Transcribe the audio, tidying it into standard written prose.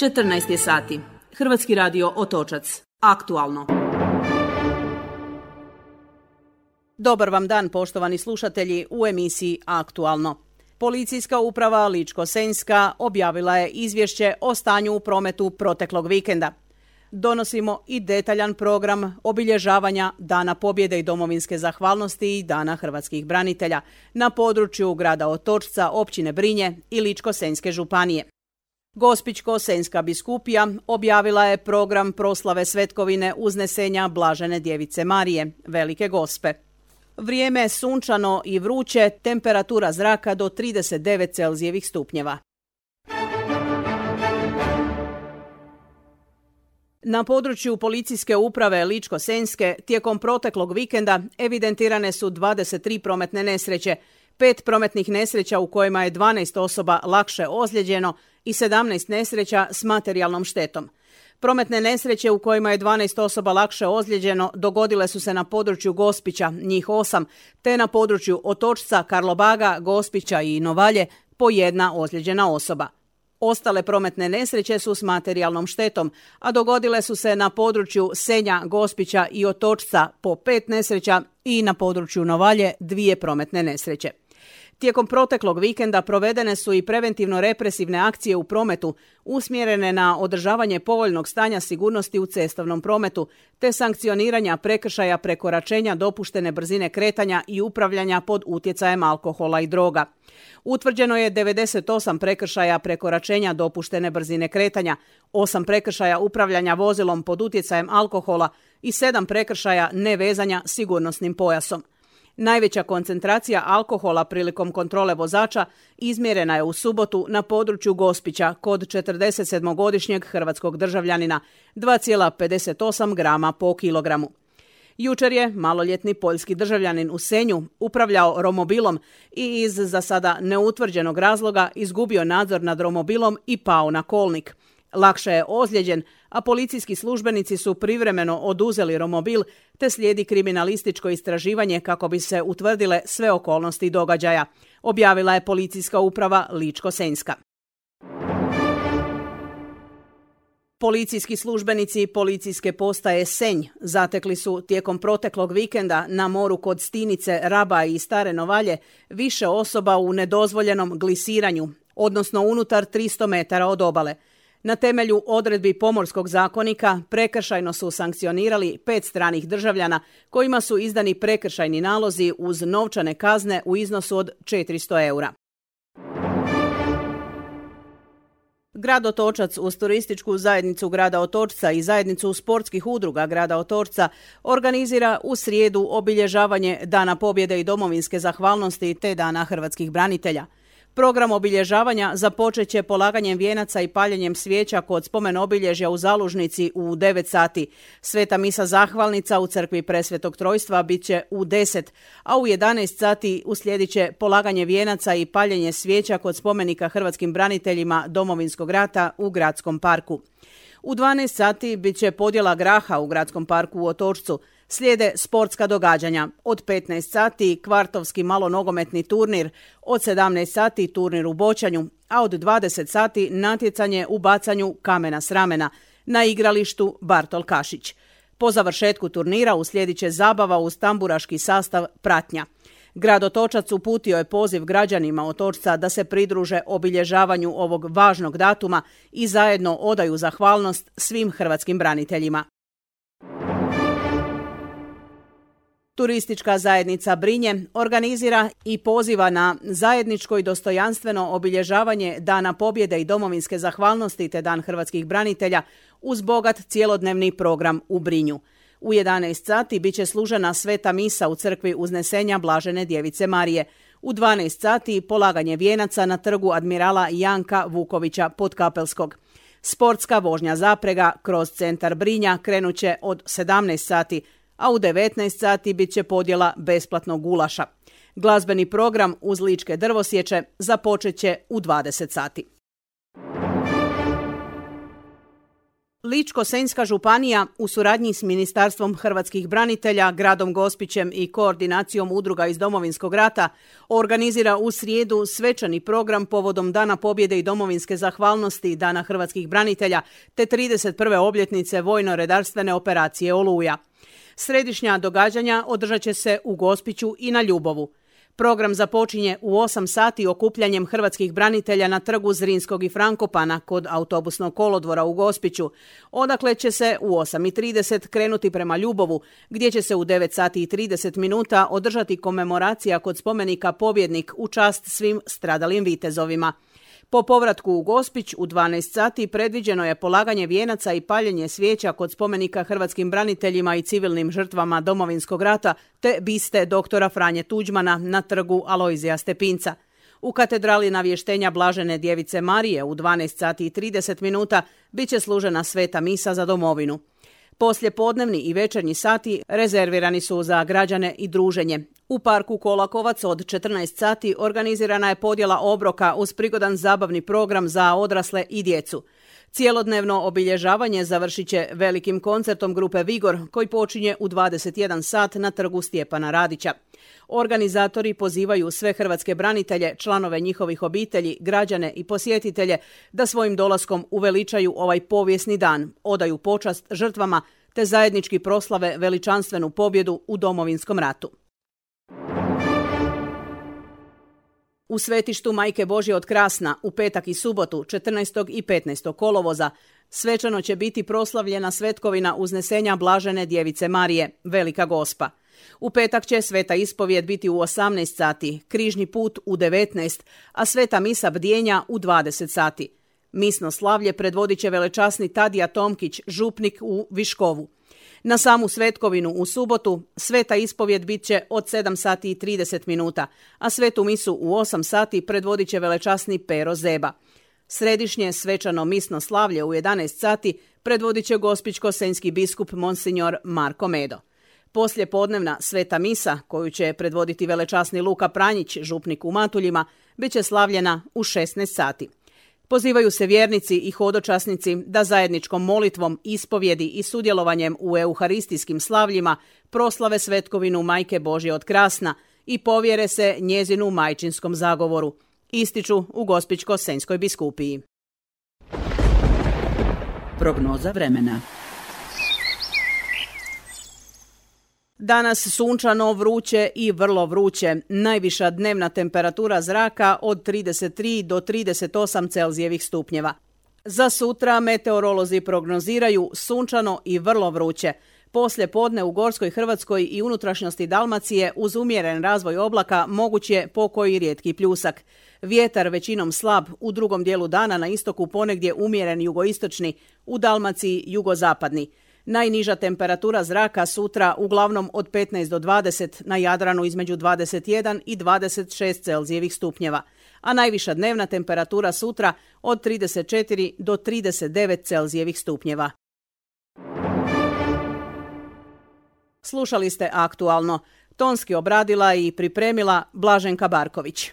14 je sati. Hrvatski radio Otočac. Aktualno. Dobar vam dan, poštovani slušatelji, u emisiji Aktualno. Policijska uprava Ličko-senjska objavila je izvješće o stanju u prometu proteklog vikenda. Donosimo i detaljan program obilježavanja Dana pobjede i domovinske zahvalnosti i Dana hrvatskih branitelja na području grada Otočca, općine Brinje i Ličko-senjske županije. Gospićko-senjska biskupija objavila je program proslave svetkovine uznesenja Blažene djevice Marije, Velike Gospe. Vrijeme je sunčano i vruće, temperatura zraka do 39 Celzijevih stupnjeva. Na području policijske uprave Ličko-senjske tijekom proteklog vikenda evidentirane su 23 prometne nesreće, 5 prometnih nesreća u kojima je 12 osoba lakše ozlijeđeno i 17 nesreća s materijalnom štetom. Prometne nesreće u kojima je 12 osoba lakše ozlijeđeno dogodile su se na području Gospića, njih 8, te na području Otočca, Karlobaga, Gospića i Novalje po 1 ozlijeđena osoba. Ostale prometne nesreće su s materijalnom štetom, a dogodile su se na području Senja, Gospića i Otočca po 5 nesreća i na području Novalje 2 prometne nesreće. Tijekom proteklog vikenda provedene su i preventivno-represivne akcije u prometu usmjerene na održavanje povoljnog stanja sigurnosti u cestovnom prometu te sankcioniranja prekršaja prekoračenja dopuštene brzine kretanja i upravljanja pod utjecajem alkohola i droga. Utvrđeno je 98 prekršaja prekoračenja dopuštene brzine kretanja, 8 prekršaja upravljanja vozilom pod utjecajem alkohola i 7 prekršaja nevezanja sigurnosnim pojasom. Najveća koncentracija alkohola prilikom kontrole vozača izmjerena je u subotu na području Gospića kod 47-godišnjeg hrvatskog državljanina, 2,58 grama po kilogramu. Jučer je maloljetni poljski državljanin u Senju upravljao romobilom i iz za sada neutvrđenog razloga izgubio nadzor nad romobilom i pao na kolnik. Lakše je ozlijeđen, a policijski službenici su privremeno oduzeli romobil te slijedi kriminalističko istraživanje kako bi se utvrdile sve okolnosti događaja, objavila je policijska uprava Ličko-senjska. Policijski službenici policijske postaje Senj zatekli su tijekom proteklog vikenda na moru kod Stinice, Raba i Stare Novalje više osoba u nedozvoljenom glisiranju, odnosno unutar 300 metara od obale. Na temelju odredbi Pomorskog zakonika prekršajno su sankcionirali 5 stranih državljana kojima su izdani prekršajni nalozi uz novčane kazne u iznosu od 400 eura. Grad Otočac uz turističku zajednicu grada Otočca i zajednicu sportskih udruga grada Otočca organizira u srijedu obilježavanje Dana pobjede i domovinske zahvalnosti te Dana hrvatskih branitelja. Program obilježavanja započet će polaganjem vijenaca i paljenjem svijeća kod spomen obilježja u Zalužnici u 9 sati. Sveta misa zahvalnica u crkvi Presvetog Trojstva bit će u 10, a u 11 sati uslijedit će polaganje vijenaca i paljenje svijeća kod spomenika hrvatskim braniteljima Domovinskog rata u Gradskom parku. U 12 sati bit će podjela graha u Gradskom parku u Otočcu. Slijede sportska događanja. Od 15 sati kvartovski malonogometni turnir, od 17 sati turnir u boćanju, a od 20 sati natjecanje u bacanju kamena s ramena na igralištu Bartol Kašić. Po završetku turnira uslijedit će zabava uz tamburaški sastav Pratnja. Grad Otočac uputio je poziv građanima Otočca da se pridruže obilježavanju ovog važnog datuma i zajedno odaju zahvalnost svim hrvatskim braniteljima. Turistička zajednica Brinje organizira i poziva na zajedničko i dostojanstveno obilježavanje Dana pobjede i domovinske zahvalnosti te Dan hrvatskih branitelja uz bogat cjelodnevni program u Brinju. U 11 sati bit će služena sveta misa u crkvi uznesenja Blažene djevice Marije. U 12 sati polaganje vijenaca na trgu admirala Janka Vukovića Podkapelskog. Sportska vožnja zaprega kroz centar Brinja krenut će od 17 sati, a u 19 sati bit će podjela besplatnog gulaša. Glazbeni program uz ličke drvosječe započet će u 20 sati. Ličko-senjska županija u suradnji s Ministarstvom hrvatskih branitelja, gradom Gospićem i koordinacijom udruga iz Domovinskog rata organizira u srijedu svečani program povodom Dana pobjede i domovinske zahvalnosti Dana hrvatskih branitelja te 31. obljetnice vojno-redarstvene operacije Oluja. Središnja događanja održat će se u Gospiću i na Ljubovu. Program započinje u 8 sati okupljanjem hrvatskih branitelja na trgu Zrinskog i Frankopana kod autobusnog kolodvora u Gospiću, odakle će se u 8:30 krenuti prema Ljubovu, gdje će se u 9 sati i 30 minuta održati komemoracija kod spomenika Pobjednik u čast svim stradalim vitezovima. Po povratku u Gospić u 12 sati predviđeno je polaganje vijenaca i paljenje svijeća kod spomenika hrvatskim braniteljima i civilnim žrtvama Domovinskog rata te biste doktora Franje Tuđmana na trgu Alojzija Stepinca. U katedrali Navještenja Blažene Djevice Marije u 12 sati i 30 minuta bit će služena sveta misa za domovinu. Poslijepodnevni i večernji sati rezervirani su za građane i druženje. U parku Kolakovac od 14 sati organizirana je podjela obroka uz prigodan zabavni program za odrasle i djecu. Cijelodnevno obilježavanje završit će velikim koncertom grupe Vigor koji počinje u 21 sat na trgu Stjepana Radića. Organizatori pozivaju sve hrvatske branitelje, članove njihovih obitelji, građane i posjetitelje da svojim dolaskom uveličaju ovaj povijesni dan, odaju počast žrtvama te zajednički proslave veličanstvenu pobjedu u Domovinskom ratu. U svetištu Majke Božje od Krasna u petak i subotu 14. i 15. kolovoza svečano će biti proslavljena svetkovina uznesenja Blažene Djevice Marije, Velika Gospa. U petak će sveta ispovijed biti u 18 sati, križni put u 19, a sveta misa bdjenja u 20 sati. Misno slavlje predvodit će velečasni Tadija Tomkić, župnik u Viškovu. Na samu svetkovinu u subotu sveta ispovjed bit će od 7 sati i 30 minuta, a svetu misu u 8 sati predvodit će velečasni Pero Zeba. Središnje svečano misno slavlje u 11 sati predvodit će gospićko-senjski biskup Monsignor Marko Medo. Poslijepodnevna sveta misa, koju će predvoditi velečasni Luka Pranjić, župnik u Matuljima, bit će slavljena u 16 sati. Pozivaju se vjernici i hodočasnici da zajedničkom molitvom, ispovjedi i sudjelovanjem u euharistijskim slavljima proslave svetkovinu Majke Božje od Krasna i povjere se njezinu majčinskom zagovoru, ističu u Gospićko-senjskoj biskupiji. Prognoza vremena. Danas sunčano, vruće i vrlo vruće. Najviša dnevna temperatura zraka od 33 do 38 Celzijevih stupnjeva. Za sutra meteorolozi prognoziraju sunčano i vrlo vruće. Poslije podne u Gorskoj Hrvatskoj i unutrašnjosti Dalmacije uz umjeren razvoj oblaka moguć je pokoji rijetki pljusak. Vjetar većinom slab, u drugom dijelu dana na istoku ponegdje umjeren jugoistočni, u Dalmaciji jugozapadni. Najniža temperatura zraka sutra uglavnom od 15 do 20, na Jadranu između 21 i 26 Celzijevih stupnjeva, a najviša dnevna temperatura sutra od 34 do 39 Celzijevih stupnjeva. Slušali ste Aktualno. Tonski obradila i pripremila Blaženka Barković.